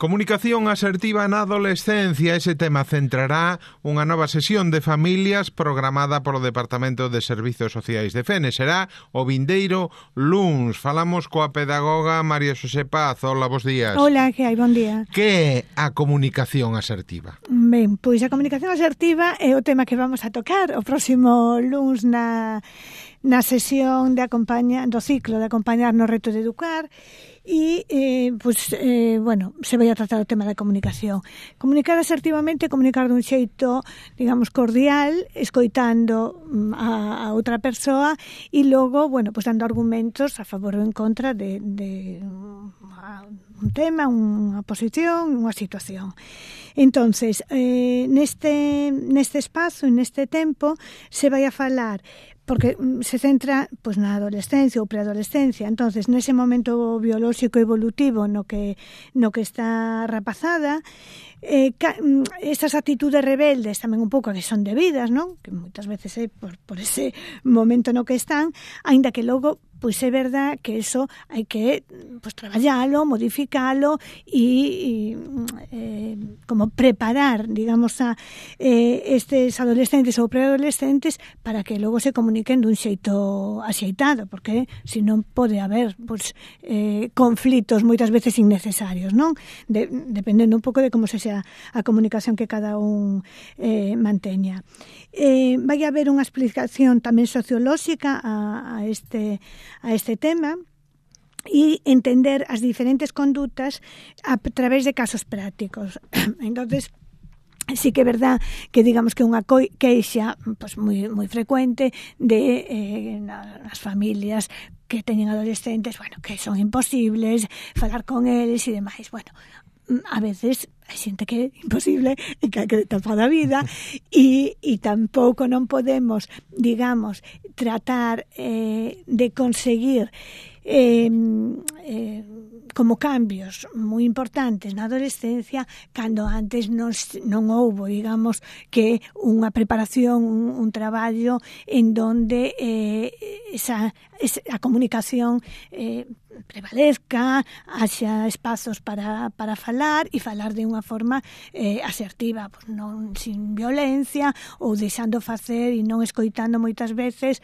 Comunicación asertiva na adolescencia, ese tema centrará unha nova sesión de familias programada polo Departamento de Servizos Sociais de Fene. Será o vindeiro luns. Falamos coa pedagoga María Xosé Paz. Hola, bos días. Hola, que hai? Bon día. Que é a comunicación asertiva? Ben, pois a comunicación asertiva é o tema que vamos a tocar o próximo luns na sesión de do ciclo de acompañar no reto de educar. E, se vai a tratar o tema da comunicación. Comunicar asertivamente, comunicar dun xeito, digamos, cordial, escoitando a outra persoa e logo, dando argumentos a favor ou en contra de un tema, unha posición, unha situación. Entonces, neste espazo, neste tempo, se vai a falar porque se centra na adolescencia ou preadolescencia. Entonces, nese momento biolóxico evolutivo no que está rapazada, esas actitudes rebeldes tamén un pouco que son debidas, non? Que moitas veces é por ese momento no que están, aínda que logo é verdad que eso hai que traballalo, modificalo e como preparar, digamos, a estes adolescentes ou preadolescentes para que logo se comuniquen dun xeito axeitado, porque senón pode haber conflitos moitas veces innecesarios, non? Dependendo un pouco de como se sea a comunicación que cada un manteña. Vai haber unha explicación tamén sociolóxica a este tema e entender as diferentes condutas a través de casos prácticos. Entonces, sí que é verdad que digamos que unha queixa moi frecuente de nas familias que teñen adolescentes, que son imposibles falar con eles e demais. A veces hai xente que é imposible e que hai que tapar a vida e tampouco non podemos, digamos, tratar de conseguir como cambios moi importantes na adolescencia cando antes non houbo, digamos, que unha preparación, un traballo en donde a comunicación prevalezca, haxa espazos para falar e falar de unha forma asertiva, non sin violencia ou deixando facer e non escoitando moitas veces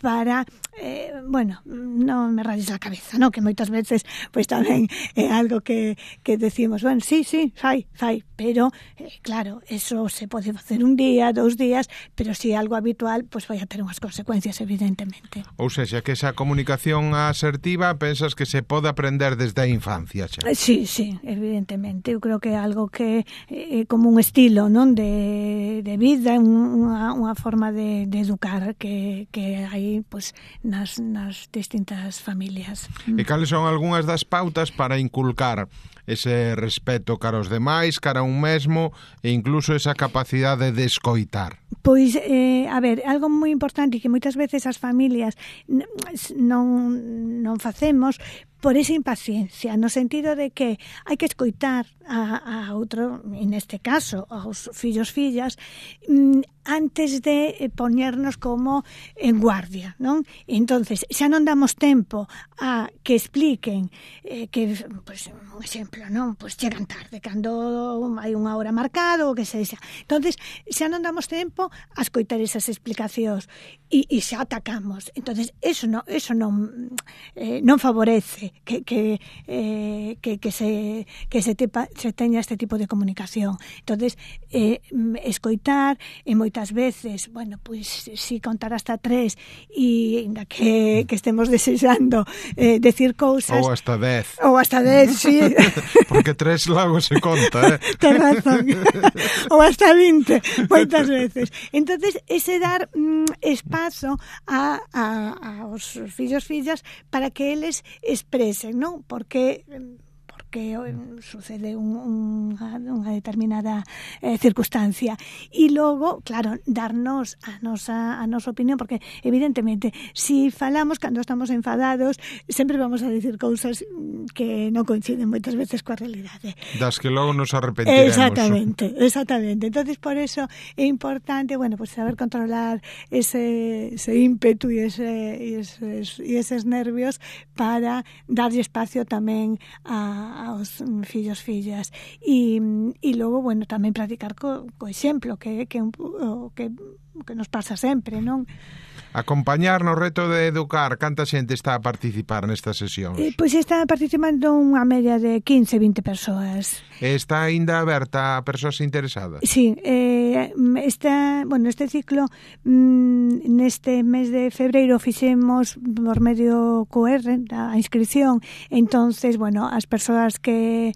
para, non me rayes a cabeza, non? Que moitas veces tamén é algo que decimos, sí, fai, pero claro, eso se pode facer un día, 2 días, pero se é algo habitual, vai a ter unhas consecuencias, evidentemente. Ou seja, que esa comunicación asertiva pensas que se pode aprender desde a infancia xa? Sí, evidentemente. Eu creo que é algo que é como un estilo, non? De vida, unha forma de educar que hai nas distintas familias. E cales son algunhas das pautas para inculcar ese respeto cara aos demais, cara a un mesmo e incluso esa capacidade de escoitar? Algo moi importante que moitas veces as familias non facemos por esa impaciencia, no sentido de que hai que escoitar a outro, en este caso, aos fillos, fillas, antes de poñernos como en guardia, non? Entonces, xa non damos tempo a que expliquen que, un exemplo, non? Chegan tarde, cando hai unha hora marcada ou que sexa. Entonces, xa non damos tempo a escoitar esas explicacións e xa atacamos. Entonces, eso non favorece que se teña este tipo de comunicación. Entonces, escoitar e moitas veces, si contar hasta 3 e ainda que estemos desexando decir cousas ou hasta 10. Ou hasta 10, sí. Porque 3 logo se conta, Ten razón. Ou hasta 20, moitas veces. Entonces, ese dar espazo aos fillos, fillas para que eles expresen, non? Porque sucede unha determinada circunstancia e logo, claro, darnos a nosa opinión, porque evidentemente si falamos cando estamos enfadados sempre vamos a decir cousas que non coinciden moitas veces coa realidade, das que logo nos arrepentiremos. Exactamente. Entonces, por eso é importante, saber controlar ese ímpetu e eses nervios para darlle espacio tamén a aos fillos, fillas. E logo, bueno, tamén practicar co exemplo, que nos pasa sempre, non? Acompañar no reto de educar, canta xente está a participar nestas sesións? Pois está participando unha media de 15-20 persoas. Está aínda aberta a persoas interesadas? Sí, este ciclo neste mes de febreiro fixemos por medio QR a inscripción. Entonces, bueno, as persoas que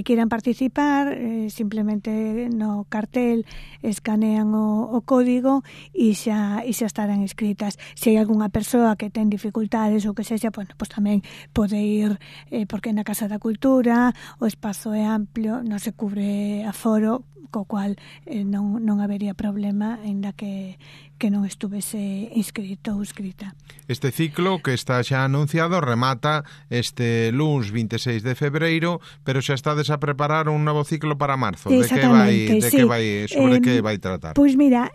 quieran participar simplemente no cartel escanean o código e xa estarán inscritas. Se hai algunha persoa que ten dificultades ou que sexa, bueno, pues tamén pode ir, porque na Casa da Cultura o espazo é amplio, non se cubre aforo, co cual non habería problema aínda que non estuvese inscrito ou inscrita. Este ciclo que está xa anunciado remata este luns 26 de febreiro, pero xa estades a preparar un novo ciclo para marzo. Sobre que vai tratar? Pois mira,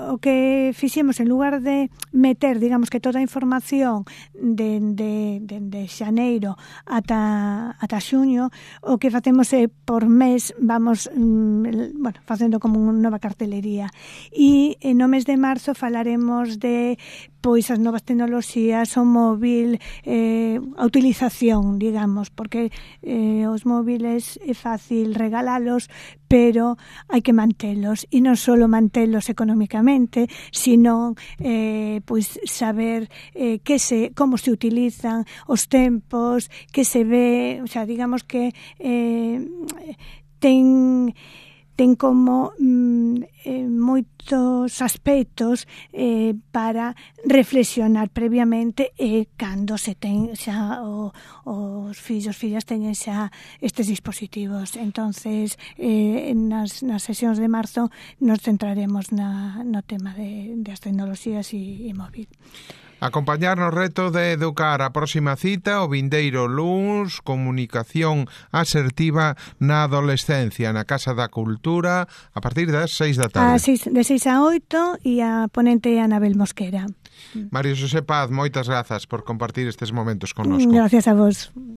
o que fixemos, en lugar de meter, digamos, que toda a información de xaneiro ata xuño, o que facemos é por mes vamos facendo como unha nova cartelería, e no mes de marzo falaremos de pois as novas tecnoloxías, o móvil, a utilización, digamos, porque os móviles é fácil regalalos, pero hai que mantelos, e non só mantelos económicamente, sino pois saber como se utilizan os tempos, que se ve, o sea, digamos que ten como moitos aspectos para reflexionar previamente, e cando se ten xa os fillos, fillas teñen xa estes dispositivos. Entonces, nas sesións de marzo nos centraremos no tema das tecnoloxías e móvil. Acompañar no reto de educar. A próxima cita, o vindeiro luns, comunicación asertiva na adolescencia, na Casa da Cultura, a partir das 6 da tarde. De 6 a 8, e a ponente é Anabel Mosquera. María Xosé Paz, moitas grazas por compartir estes momentos connosco. Gracias a vos.